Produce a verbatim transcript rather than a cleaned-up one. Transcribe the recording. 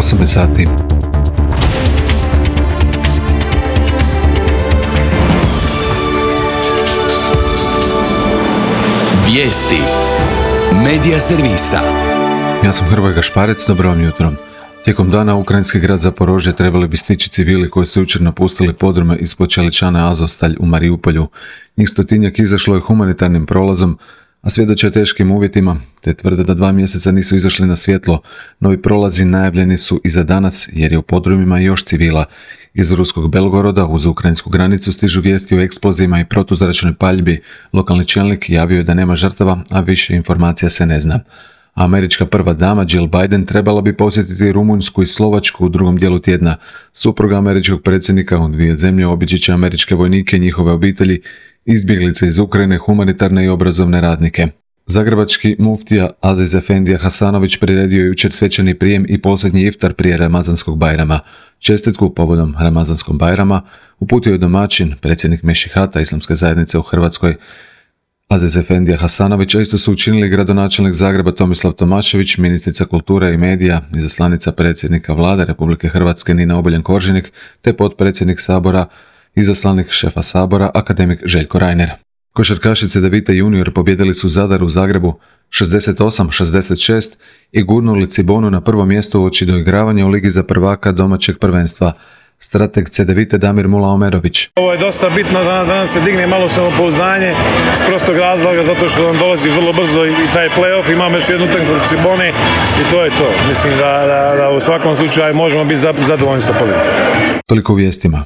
osamnaest sati. Vijesti Medija servisa. Ja sam Hrvoje Gašparec, dobro vam jutro. Tijekom dana ukrajinski grad Zaporožje trebali bi stići civili koji su jučer napustili podrume ispod čeličane Azovstalj u Mariupolju. Njih stotinjak izašlo je humanitarnim prolazom, a svjedoče o teškim uvjetima, te tvrde da dva mjeseca nisu izašli na svjetlo. Novi prolazi najavljeni su i za danas, jer je u podrumima još civila. Iz ruskog Belgoroda uz ukrajinsku granicu stižu vijesti o eksplozijama i protuzračnoj paljbi. Lokalni čelnik javio je da nema žrtava, a više informacija se ne zna. Američka prva dama Jill Biden trebala bi posjetiti Rumunjsku i Slovačku u drugom dijelu tjedna. Supruga američkog predsjednika u dvije zemlje obići će američke vojnike i njihove obitelji, izbjeglice iz Ukrajine, humanitarne i obrazovne radnike. Zagrebački muftija Aziz Efendija Hasanović priredio je jučer svečani prijem i posljednji iftar prije Ramazanskog Bajrama. Čestitku povodom Ramazanskog Bajrama uputio je domaćin, predsjednik Mešihata Islamske zajednice u Hrvatskoj, Aziz Efendija Hasanović, a isto su učinili gradonačelnik Zagreba Tomislav Tomašević, ministrica kulture i medija, izaslanica predsjednika Vlade Republike Hrvatske Nina Obuljen Koržinek, te potpredsjednik Sabora, izaslanik šefa Sabora, akademik Željko Reiner. Košarkaši Cedevita junior pobjedili su Zadar u Zagrebu šezdeset osam šezdeset šest i gurnuli Cibonu na prvo mjesto uoči doigravanja u Ligi za prvaka domaćeg prvenstva. Strateg Cedevite Damir Mula-Omerović. Ovo je dosta bitno da nam se digne malo samopouzdanje iz prostog razloga zato što nam dolazi vrlo brzo i taj play-off, imamo još jednu utakmicu protiv Cibone i to je to. Mislim da, da, da u svakom slučaju možemo biti zadovoljni sa pobjedom. Toliko u vijestima.